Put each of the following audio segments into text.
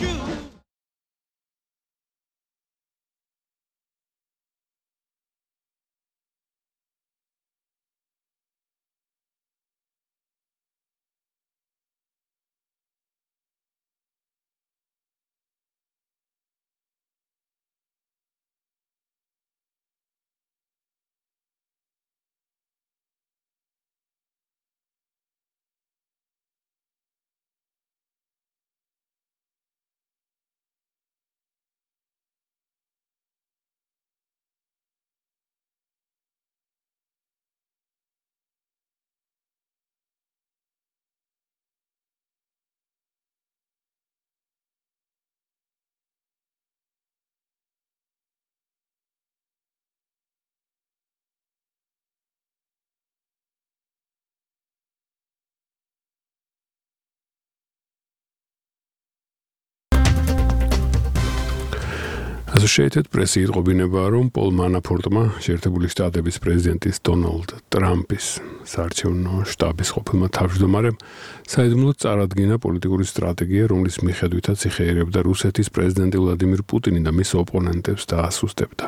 true. Associated Press იტყობინება, რომ პოლ მანაფორტმა შეერთებული შტატების პრეზიდენტის დონალდ ტრამპის საარჩევნო შტაბის ყოფილმა თავმჯდომარემ საიდუმლოდ წარადგინა პოლიტიკური სტრატეგია, რომლის მიხედვითაც იხეირებდა რუსეთის პრეზიდენტი ვლადიმირ პუტინი და მის ოპონენტებს დაასუსტებდა.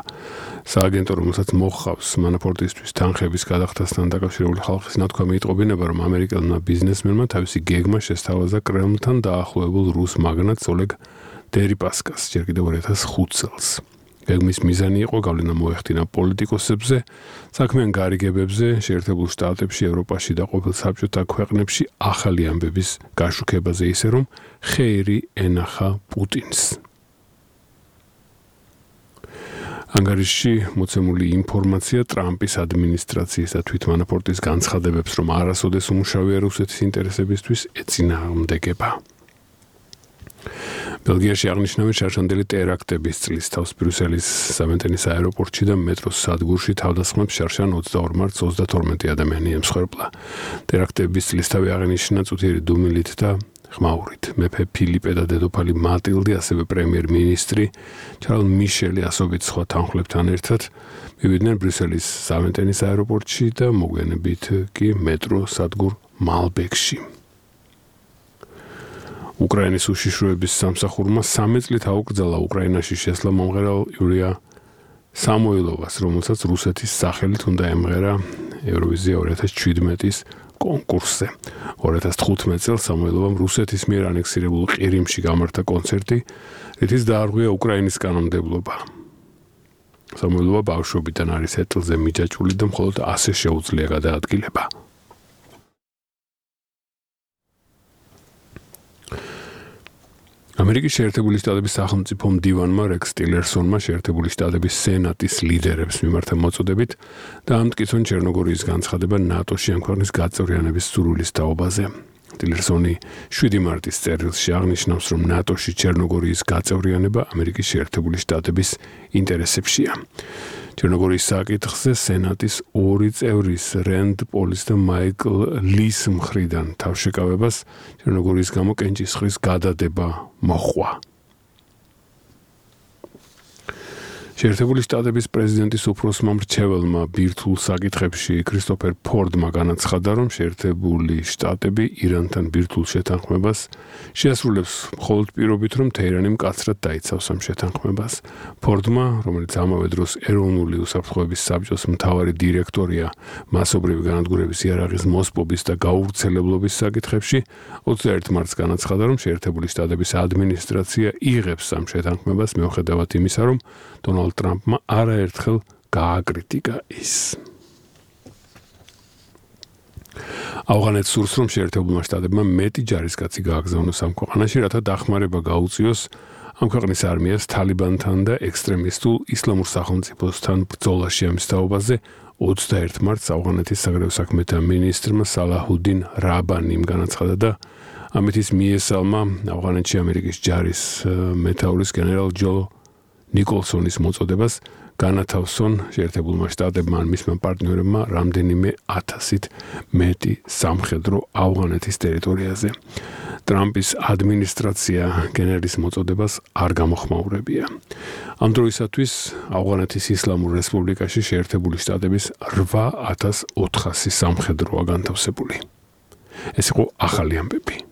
სააგენტო, რომელსაც მოჰყავს მანაფორტისთვის თანხების გადახდასთან დაკავშირებული ხალხის ნათქვამი იტყობინება, რომ ამერიკელმა ბიზნესმენმა თავისი გეგმა შესთავაზა კრემლთან დაახლოებულ რუს მაგნატს ოლეგ დერიპასკას ჯერ კიდევ 2005 წელს. გეგმის მიზანი იყო გავლენა მოეხდინა პოლიტიკოსებზე, საქმიან გარიგებებზე, შეერთებულ შტატებში, ევროპაში და ყოფილ საბჭოთა ქვეყნებში ახალი ამბების გაშუქებაზე, ისე რომ ხეირი ენახა პუტინს. ანგარიშში მოცემული ინფორმაცია ტრამპის ადმინისტრაციის და თვით მანაფორტის განცხადებებს, რომ არასოდეს უმუშავია რუსეთის ინტერესებისთვის, ეწინააღმდეგება. ბელგიაში აღნიშნავენ შარშანდელი ტერაქტების წლის თავს ბრიუსელის სამენტენის აეროპორტში და მეტროს სადგურში თავდასხმებს შარშან 22 მარტს 32 ადამიანი ემსხვერპლა. ტერაქტების წლისთავი აღინიშნა წუთიერი დუმილით და ხმაურით. მეფე ფილიპე და დედოფალი მატილდი, ასევე პრემიერ-მინისტრი ჩარლზ მიშელი ასობით სხვა თანხმლებთან ერთად მივიდნენ ბრიუსელის სამენტენის აეროპორტში და მოგვიანებით კი მეტროს სადგურ მალბეკში. უკრაინის უშიშროების სამსახურმა 3 წლით აუკრძალა უკრაინაში შესვლა მომღერალ იურია სამოილოვას, რომელსაც რუსეთის სახელით უნდა ემღერა ევროვიზია 2017-ის კონკურსზე. 2015 წელს სამოილოვამ რუსეთის მიერ ანექსირებულ ყირიმში გამართა კონცერტი, რითიც დაარღვია უკრაინის კანონმდებლობა. სამოილოვა ბავშვობიდან არის ეტლზე მიჯაჭვული და მხოლოდ ასე შეუძლია გადაადგილება. ამერიკის შეერთებული შტატების სახელმწიფო მდივანმა რექს ტილერსონმა შეერთებული შტატების სენატის ლიდერებს მიმართა მოწოდებით და ამტკიცონ ჩერნოგორიის განცხადება ნატოში ამ ქვეყნის გაწევრიანების სურვილის თაობაზე. ტილერსონი 7 მარტის წერილში აღნიშნავს, რომ ნატოში ჩერნოგორიის გაწევრიანება ამერიკის შეერთებული შტატების ინტერესებშია. ჩერნოგორიის საკითხზე სენატის 2 წევრის რენდ პოლის და მაიკლ ლის მხრიდან თავშეკავებას ჩერნოგორიის გამო კენჭისყრის გადადება მოჰყვა. შეერთებული შტატების პრეზიდენტის უფროსმა მრჩეველმა ბირთვულ საკითხებში ქრისტოფერ ფორდმა განაცხადა, რომ შეერთებული შტატები ირანთან ბირთვულ შეთანხმებას შეასრულებს მხოლოდ პირობით, რომ თეირანი მკაცრად დაიცავს ამ შეთანხმებას. ფორდმა, რომელიც ამავე დროს ეროვნული უსაფრთხოების საბჭოს მთავარი დირექტორია მასობრივი განადგურების იარაღის მოსპობის და გაუვრცელებლობის საკითხებში, 21 მარტს განაცხადა, რომ შეერთებული შტატების ადმინისტრაცია იღებს ამ შეთანხმებას მიუხედავად იმისა, რომ დონალდ ტრამპმა არაერთხელ გააკრიტიკა ის. ავღანეთს სურს, რომ შეერთებულმა შტატებმა მეტი ჯარისკაცი გააგზავნოს ამ ქვეყანაში, რათა დახმარება გაუწიოს ამ ქვეყნის არმიას თალიბანთან და ექსტრემისტულ ისლამურ სახელმწიფოსთან ბრძოლაში ამის თაობაზე 21 მარტს ავღანეთის საგარეო საქმეთა მინისტრმა სალაჰუდინ რაბანიმ განაცხადა და ამით ის მიესალმა ავღანეთში ამერიკის ჯარის მეთაურის გენერალ ჯო ნიკოლსონის მოწოდებას განათავსონ შეერთებულმა შტატებმა ან მისმა პარტნიორებმა რამდენიმე 1000-ით მეტი სამხედრო ავღანეთის ტერიტორიაზე. ტრამპის ადმინისტრაცია გენერლის მოწოდებას არ გამოხმაურებია. ამ დროისათვის ავღანეთის ისლამურ რესპუბლიკაში შეერთებული შტატების 8400 სამხედროა განთავსებული. ეს იყო ახალი ამბები.